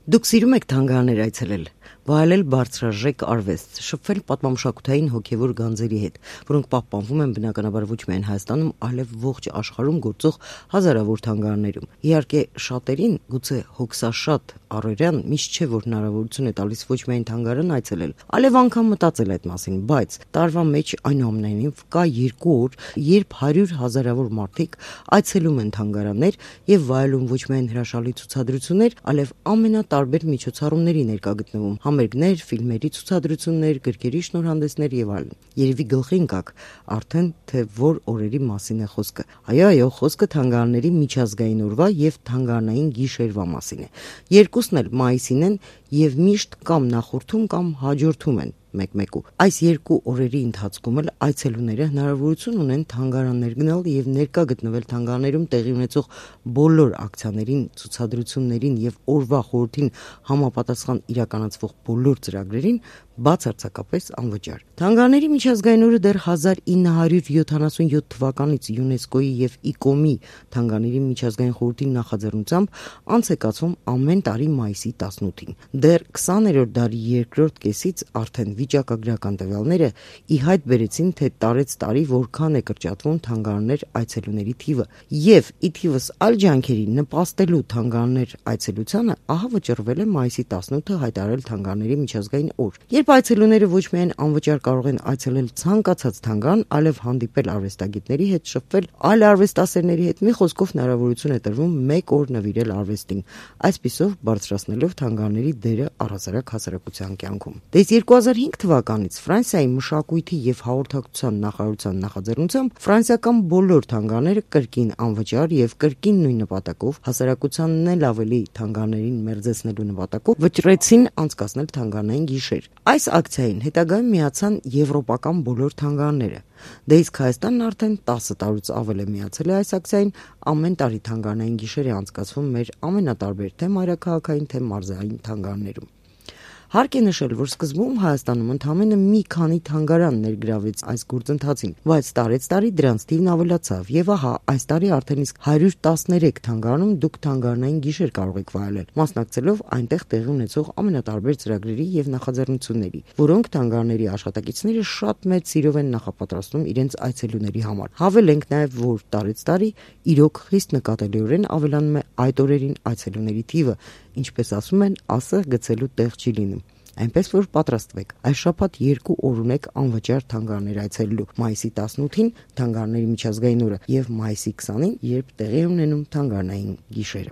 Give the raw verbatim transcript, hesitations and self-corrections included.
Դուք սիրում եք թանգարաններ այցելել, վայելել բարձրաժեք արվեստ, շփվել պատմամշակութային հոգևոր գանձերի հետ, որոնք պահպանվում են բնականաբար ոչ միայն Հայաստանում, այլև ողջ աշխարհում գործող հազարավոր թանգարաններում։ Իհարկե, շատերին, գուցե հոգսաշատ առօրյան միշտ չէ, որ հնարավորություն է տալիս ոչ միայն թանգարան այցելել, այլև անգամ մտածել այդ մասին, բայց տարվա մեջ այնուամենայնիվ կա երկու օր, երբ հարյուր հազարավոր մարդիկ այցելում են թանգարաններ եւ վայելում ոչ միայն հրաշալի ցուցադրություններ, այլև ամենատարբեր միջոցառումների ներկա գտնվում՝ համերգներ, ֆիլմերի ցուցադրություններ, գրքերի շնորհանդեսներ եւ այլն։ Երևի գլխին կաք արդեն թե որ օրերի մասին է խոսքը։ Այո, այո, խոսքը թանգարանների միջազգային օրվա եւ թանգարանային գիշերվա մասին է։ Երկուսն էլ մայիսին են եւ միշտ կամ նախորդում կամ հաջորդում են մեկ-մեկու։ Այս երկու օրերի ընթացքում էլ այցելուները հնարավորություն ունեն թանգարաններ գնալ եւ ներկա գտնվել թանգարաններում տեղի ունեցող բոլոր ակցիաներին, ցուցադրություններին եւ օրվա խորհրդին համապատասխան իրականացվող բոլոր ծրագրերին բացարձակապես անվճար։ Թանգարանների միջազգային օրը դեռ հազար ինը հարյուր յոթանասունյոթ թվականից ՅՈՒՆԵՍԿՕ-ի եւ ԻԿՕՄ-ի թանգարանների միջազգային խորհրդի նախաձեռնությամբ անց է կացվում ամեն տարի մայիսի տասնութին։ Դեռ քսաներորդ դարի երկրորդ կեսից արդեն վիճակագրական տվյալները ի հայտ բերեցին, թե տարեց տարի որքան է կրճատվում թանգարաններ այցելուների թիվը, եւ ի թիվս այլ ջանքերի նպաստելու թանգարաններ այցելությանը ահա վճռվել է մայիսի տասնութը հայտարարել թանգարանների միջազգային օր, երբ այցելուները ոչ միայն անվճար կարող են այցելել ցանկացած թանգարան, այլև հանդիպել արվեստագետների հետ, շփվել այլ արվեստասերների հետ, մի խոսքով հնարավորություն է տրվում մեկ օր նվիրել արվեստին, այսպիսով բարձրացնելով թանգարանների դերը առհասարակ հասարակության կյանքում։ Դες երկու հազար հինգ թվականից Ֆրանսիայի մշակույթի եւ հաղորդակցության նախարարության նախաձեռնությամբ ֆրանսիական բոլոր թանգարանները կրկին անվճար եւ կրկին նույն նպատակով հասարակությանն էլ ավելի թանգարաններին մերձեցնելու նպատակով վճռեցին անցկացնել թանգարանային գիշեր։ Այս ակցիային հետագայում միացան եվրոպական բոլոր թանգարանները։ Դե իսկ Հայաստանն արդեն տասը տարուց ավել է միացել է այս ակցիային, ամեն տարի թանգարանային գիշեր է անցկացվում մեր ամենատարբեր թե մայրաքաղաքային, թե մարզային թանգարաններում։ Հարկ է նշել, որ սկզբում Հայաստանում ընդամենը մի քանի թանգարան ներգրավեց այս գործընթացին, բայց տարեց-տարի դրանց թիվն ավելացավ, եւ ահա այս տարի արդեն իսկ հարյուր տասներեք թանգարանում դուք թանգարանային գիշեր կարող եք վայելել, մասնակցելով այնտեղ տեղի ունեցող ամենատարբեր ծրագրերի եւ նախաձեռնությունների, որոնք թանգարանների աշխատակիցները շատ մեծ սիրով են նախապատրաստում իրենց այցելուների համար։ Հավելենք նաեւ, որ տարեց-տարի իրոք խիստ նկատելիորեն ավելանում է այդ օրերին այցելուների թիվը, ինչպես ասում են, ասը գցելու տեղ չի լինում։ Այնպես որ պատրաստվեք, այս շաբաթ երկու օր ունեք անվճար թանգարաններ այցելելու՝ մայիսի տասնութին թանգարանների միջազգային օրը եւ մայիսի քսանին, երբ տեղի ունենում թանգարանային գիշերը։